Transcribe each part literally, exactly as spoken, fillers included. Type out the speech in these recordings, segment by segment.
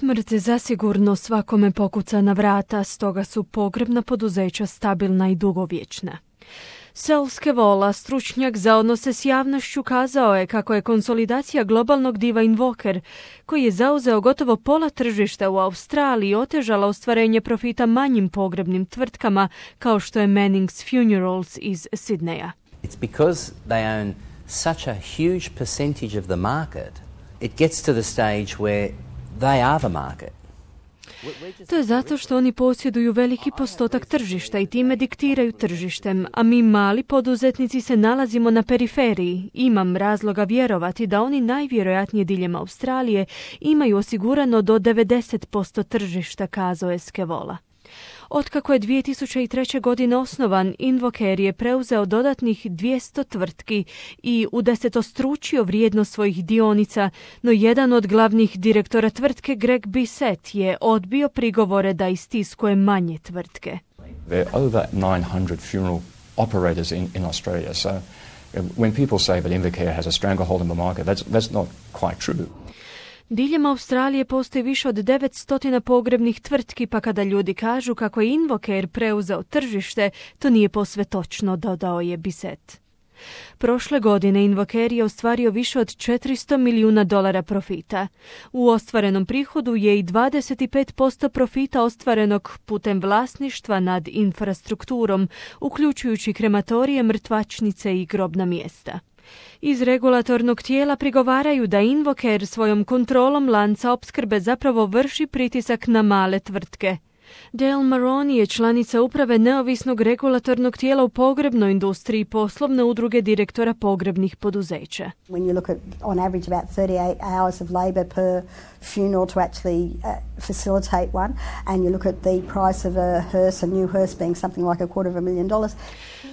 Smrt zasigurno svakome pokuca na vrata, stoga su pogrebna poduzeća stabilna i dugovječna. Saul Scavola, stručnjak za odnose s javnošću, kazao je kako je konsolidacija globalnog diva Invoker, koji je zauzeo gotovo pola tržišta u Australiji, otežala ostvarenje profita manjim pogrebnim tvrtkama kao što je Manning's Funerals iz Sidneja. It's because they own such a huge percentage of the market, it gets to the stage where they are the market. To je zato što oni posjeduju veliki postotak tržišta i time diktiraju tržištem, a mi mali poduzetnici se nalazimo na periferiji. Imam razloga vjerovati da oni najvjerojatnije diljem Australije imaju osigurano do devedeset posto tržišta, kazao je Scavola. Otkako je dvije tisuće treće. godine osnovan, Invocare je preuzeo dodatnih dvjesto tvrtki i udesetostručio vrijednost svojih dionica, no jedan od glavnih direktora tvrtke, Greg Bissett, je odbio prigovore da istiskuje manje tvrtke. There are over nine hundred funeral operators in, in Australia, so when people say that Invocare has a stranglehold in the market, that's, that's not quite true. Diljem Australije postoji više od devetsto pogrebnih tvrtki, pa kada ljudi kažu kako je Invocare preuzeo tržište, to nije posve točno, dodao je Bissett. Prošle godine Invocare je ostvario više od četiristo milijuna dolara profita. U ostvarenom prihodu je i dvadeset pet posto profita ostvarenog putem vlasništva nad infrastrukturom, uključujući krematorije, mrtvačnice i grobna mjesta. Iz regulatornog tijela prigovaraju da Invocare svojom kontrolom lanca opskrbe zapravo vrši pritisak na male tvrtke. Dale Maroney je članica uprave neovisnog regulatornog tijela u pogrebnoj industriji i poslovne udruge direktora pogrebnih poduzeća. When you look at on average about thirty-eight hours of labor per funeral to actually uh, facilitate one, and you look at the price of a hearse, a new hearse being something like a quarter of a million dollars.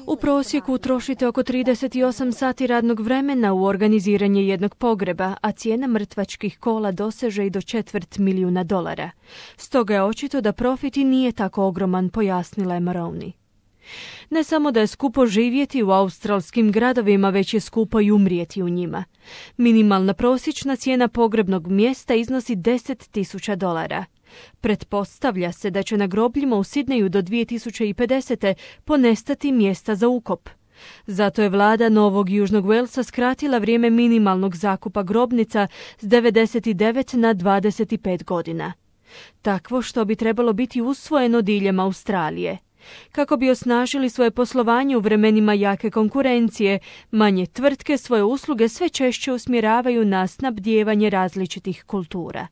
U prosjeku utrošite oko trideset osam sati radnog vremena u organiziranje jednog pogreba, a cijena mrtvačkih kola doseže i do četvrt milijuna dolara. Stoga je očito da profit i nije tako ogroman, pojasnila je Maroney. Ne samo da je skupo živjeti u australskim gradovima, već je skupo i umrijeti u njima. Minimalna prosječna cijena pogrebnog mjesta iznosi deset tisuća dolara. Pretpostavlja se da će na grobljima u Sidneju do dvije tisuće pedesete. ponestati mjesta za ukop. Zato je vlada Novog Južnog Walesa skratila vrijeme minimalnog zakupa grobnica s devedeset devet na dvadeset pet godina. Takvo što bi trebalo biti usvojeno diljem Australije. Kako bi osnažili svoje poslovanje u vremenima jake konkurencije, manje tvrtke svoje usluge sve češće usmjeravaju na snabdijevanje različitih kultura.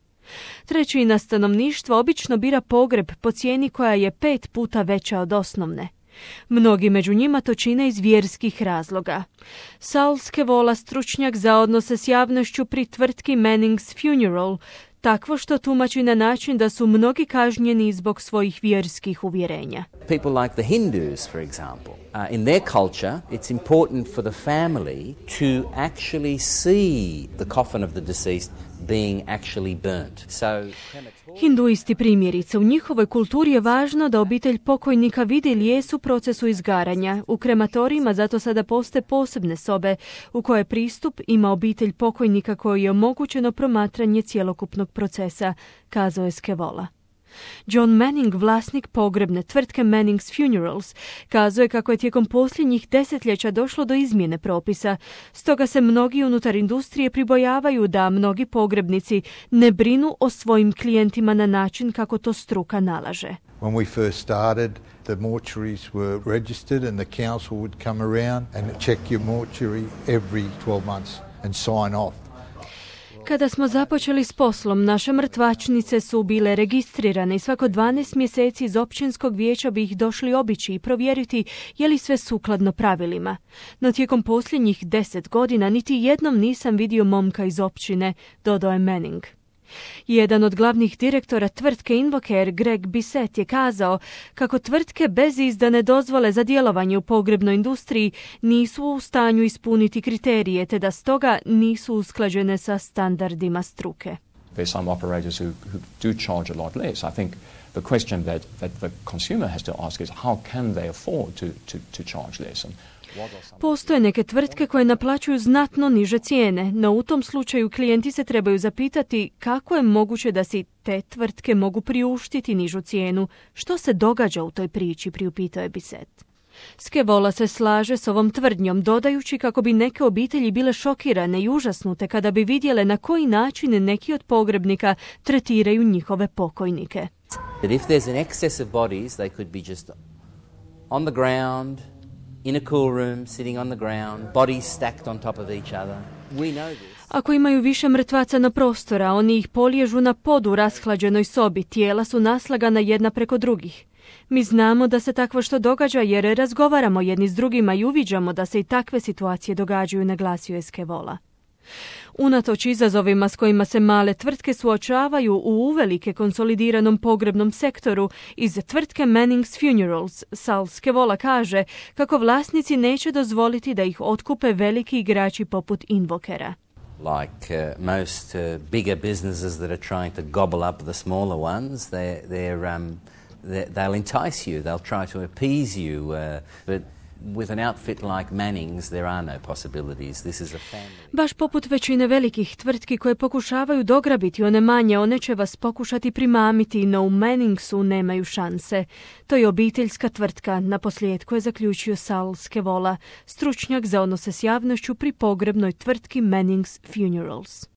Trećina stanovništva obično bira pogreb po cijeni koja je pet puta veća od osnovne. Mnogi među njima to čine iz vjerskih razloga. Saul Scavola, stručnjak za odnose s javnošću pri tvrtki Manning's Funeral, takvo što tumači na način da su mnogi kažnjeni zbog svojih vjerskih uvjerenja. People like the Hindus, for example, uh, in their culture, it's important for the family to actually see the coffin of the deceased being actually burnt. So, Hinduisti primjerice, u njihovoj kulturi je važno da obitelj pokojnika vidi lijes u procesu izgaranja. U krematorijima zato sada postoje posebne sobe u koje pristup ima obitelj pokojnika koji je omogućeno promatranje cjelokupnog procesa, kazao je Scavola. John Manning, vlasnik pogrebne tvrtke Manning's Funerals, kazuje kako je tijekom posljednjih desetljeća došlo do izmjene propisa, stoga se mnogi unutar industrije pribojavaju da mnogi pogrebnici ne brinu o svojim klijentima na način kako to struka nalaže. When we first started, the mortuaries were registered and the council would come around and check your mortuary every twelve months and sign off. Kada smo započeli s poslom, naše mrtvačnice su bile registrirane i svako dvanaest mjeseci iz općinskog vijeća bi ih došli obići i provjeriti je li sve sukladno pravilima. No tijekom posljednjih deset godina niti jednom nisam vidio momka iz općine, dodao je Manning. Jedan od glavnih direktora tvrtke Invocare, Greg Bissett, je kazao kako tvrtke bez izdane dozvole za djelovanje u pogrebnoj industriji nisu u stanju ispuniti kriterije, te da stoga nisu usklađene sa standardima struke. There's some operators who, who do charge a lot less. I think the question that, that the consumer has to ask is how can they afford to, to, to charge less? And Postoje neke tvrtke koje naplaćuju znatno niže cijene, no u tom slučaju klijenti se trebaju zapitati kako je moguće da si te tvrtke mogu priuštiti nižu cijenu. Što se događa u toj priči, priupitao je Bissett. Scavola se slaže s ovom tvrdnjom, dodajući kako bi neke obitelji bile šokirane i užasnute kada bi vidjele na koji način neki od pogrebnika tretiraju njihove pokojnike. That if there's an excess of bodies, they could be just on the ground, in a cool room, sitting on the ground, bodies stacked on top of each other. We know this. Ako imaju više mrtvaca na prostora, oni ih poliježu na podu u rashlađenoj sobi, tijela su naslagana jedna preko drugih. Mi znamo da se takvo što događa jer razgovaramo jedni s drugima i uviđamo da se i takve situacije događaju, naglasio je Scavola. Unatoč izazovima s kojima se male tvrtke suočavaju u uvelike konsolidiranom pogrebnom sektoru, iz tvrtke Manning's Funerals, Sal Scavola kaže kako vlasnici neće dozvoliti da ih otkupe veliki igrači poput Invokera. Like uh, most uh, bigger businesses that are trying to gobble up the smaller ones, they're, they're, um, they're, they'll entice you, they'll try to appease you, uh, but with an outfit like Manning's there are no possibilities. This is a family. Baš poput većine velikih tvrtki koje pokušavaju dograbiti one manje, one će vas pokušati primamiti, no u Manningsu nemaju šanse. To je obiteljska tvrtka, naposljetku je zaključio Sal Scavola, stručnjak za odnose s javnošću pri pogrebnoj tvrtki Manning's Funerals.